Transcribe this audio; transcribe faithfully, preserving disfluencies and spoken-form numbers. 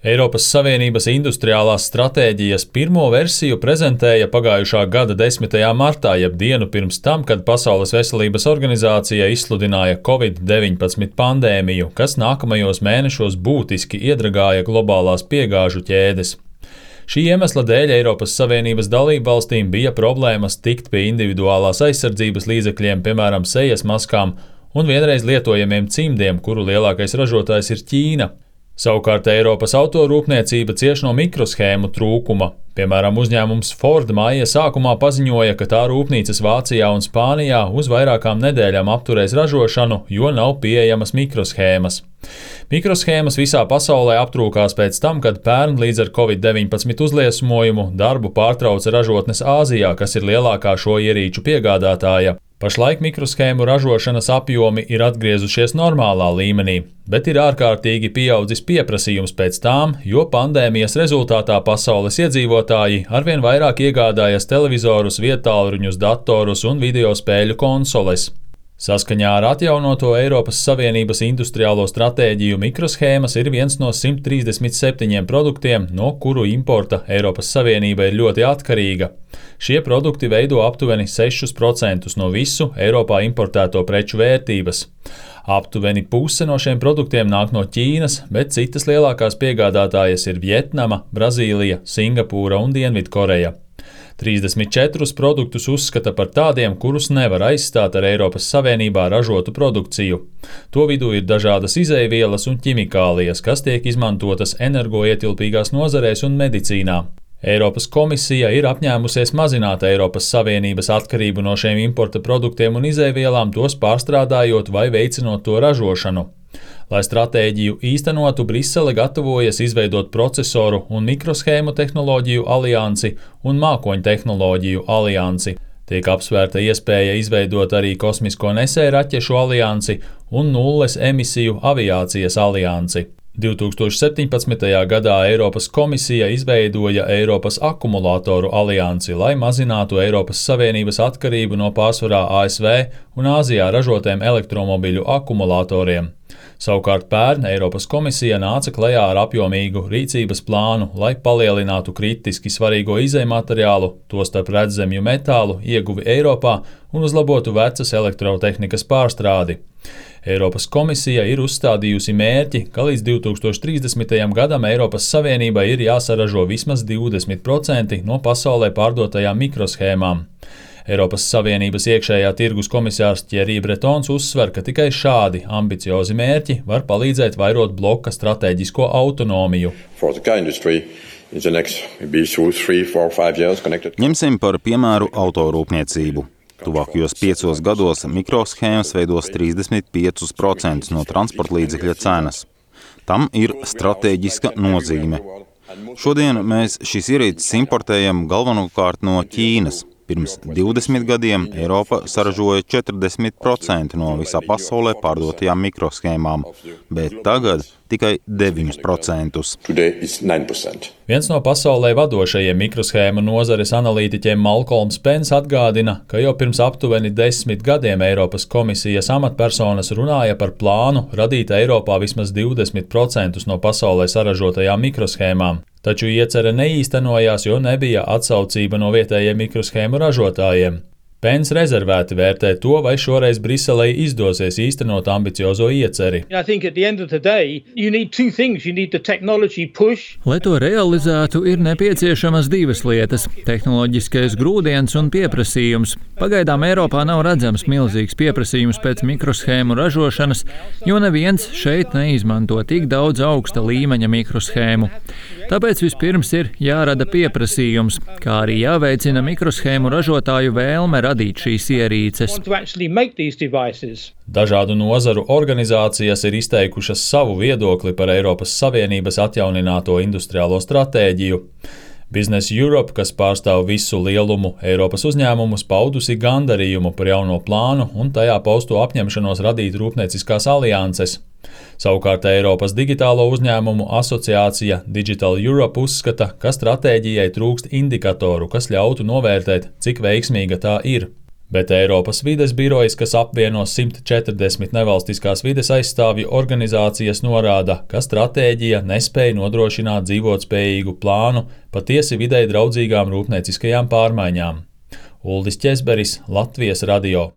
Eiropas Savienības industriālās stratēģijas pirmo versiju prezentēja pagājušā gada desmitajā martā, jeb dienu pirms tam, kad Pasaules veselības organizācija izsludināja covid deviņpadsmit pandēmiju, kas nākamajos mēnešos būtiski iedragāja globālās piegāžu ķēdes. Šī iemesla dēļ Eiropas Savienības dalībvalstīm bija problēmas tikt pie individuālās aizsardzības līdzekļiem, piemēram, sejas maskām un vienreiz lietojamiem cimdiem, kuru lielākais ražotājs ir Ķīna. Savukārt Eiropas autorūpniecība cieš no mikroshēmu trūkuma. Piemēram, uzņēmums Ford māja sākumā paziņoja, ka tā rūpnīcas Vācijā un Spānijā uz vairākām nedēļām apturēs ražošanu, jo nav pieejamas mikroshēmas. Mikroshēmas visā pasaulē aptrūkās pēc tam, kad pērn līdz ar covid deviņpadsmit uzliesmojumu darbu pārtrauca ražotnes Āzijā, kas ir lielākā šo ierīču piegādātāja. Pašlaik mikroshēmu ražošanas apjomi ir atgriezušies normālā līmenī, bet ir ārkārtīgi pieaudzis pieprasījums pēc tām, jo pandēmijas rezultātā pasaules iedzīvotāji arvien vairāk iegādājas televizorus, viedtālruņus, datorus un videospēļu konsoles. Saskaņā ar atjaunoto Eiropas Savienības industriālo stratēģiju mikroshēmas ir viens no simt trīsdesmit septiņiem produktiem, no kuru importa Eiropas Savienība ir ļoti atkarīga. Šie produkti veido aptuveni sešus procentus no visu Eiropā importēto preču vērtības. Aptuveni puse no šiem produktiem nāk no Ķīnas, bet citas lielākās piegādātājas ir Vjetnama, Brazīlija, Singapūra un Dienvidkoreja. trīsdesmit četrus produktus uzskata par tādiem, kurus nevar aizstāt ar Eiropas Savienībā ražotu produkciju. To vidū ir dažādas izeivielas un ķimikālijas, kas tiek izmantotas energoietilpīgās nozarēs un medicīnā. Eiropas komisija ir apņēmusies mazināt Eiropas Savienības atkarību no šiem importa produktiem un izeivielām, tos pārstrādājot vai veicinot to ražošanu. Lai stratēģiju īstenotu, Brisele gatavojas izveidot procesoru un mikroshēmu tehnoloģiju aliansi un mākoņu tehnoloģiju aliansi. Tiek apsvērta iespēja izveidot arī kosmisko nesēju raķešu aliansi un nulles emisiju aviācijas aliansi. divi tūkstoši septiņpadsmitajā gadā Eiropas komisija izveidoja Eiropas akumulātoru aliansi, lai mazinātu Eiropas Savienības atkarību no pārsvarā A S V un Āzijā ražotiem elektromobiļu akumulātoriem. Savukārt pērn Eiropas komisija nāca klajā ar apjomīgu rīcības plānu, lai palielinātu kritiski svarīgo izejmateriālu, tostarp redzamju metālu, ieguvi Eiropā un uzlabotu vecas elektrotehnikas pārstrādi. Eiropas komisija ir uzstādījusi mērķi, ka līdz divi tūkstoši trīsdesmitajam gadam Eiropas Savienībai ir jāsaražo vismaz divdesmit procenti no pasaulē pārdotajām mikroshēmām. Eiropas Savienības iekšējā tirgus komisārs Thierry Bretons uzsver, ka tikai šādi ambiciozi mērķi var palīdzēt vairot bloka stratēģisko autonomiju. Ņemsim par piemēru autorūpniecību. Tuvākajos piecos gados mikroshēmas veidos trīsdesmit piecus procentus no transporta līdzekļa cenas. Tam ir stratēģiska nozīme. Šodien mēs šīs ierīces importējam galvenokārt no Ķīnas. Pirms divdesmit gadiem Eiropa saražoja četrdesmit procenti no visā pasaulē pārdotajām mikroshēmām, bet tagad tikai deviņi procenti. Viens no pasaulē vadošajiem mikroshēmu nozares analītiķiem Malcolms Pence atgādina, ka jau pirms aptuveni desmit gadiem Eiropas komisijas amatpersonas runāja par plānu radīt Eiropā vismaz divdesmit procentus no pasaulē saražotajām mikroshēmām. Taču iecerē neīstenojās, jo nebija atsaucība no vietējiem mikroshēmu ražotājiem. Pence rezervēti vērtē to, vai šoreiz Briselei izdosies īstenot ambiciozo ieceri. Lai to realizētu, ir nepieciešamas divas lietas – tehnoloģiskais grūdienis un pieprasījums. Pagaidām Eiropā nav redzams milzīgs pieprasījums pēc mikroshēmu ražošanas, jo neviens šeit neizmanto tik daudz augsta līmeņa mikroshēmu. Tāpēc vispirms ir jārada pieprasījums, kā arī jāveicina mikroshēmu ražotāju vēlme radīt šīs ierīces. Dažādu nozaru organizācijas ir izteikušas savu viedokli par Eiropas Savienības atjaunināto industriālo stratēģiju. Business Europe, kas pārstāv visu lielumu Eiropas uzņēmumus, paudusi gandarījumu par jauno plānu un tajā pausto apņemšanos radīt rūpnieciskās alianses. Savukārt Eiropas digitālo uzņēmumu asociācija Digital Europe uzskata, ka stratēģijai trūkst indikatoru, kas ļautu novērtēt, cik veiksmīga tā ir. Bet Eiropas vides birojas, kas apvieno simt četrdesmit nevalstiskās vides aizstāvju organizācijas, norāda, ka stratēģija nespēja nodrošināt dzīvotspējīgu plānu patiesi videi draudzīgām rūpnieciskajām pārmaiņām. Uldis Ķezberis, Latvijas radio.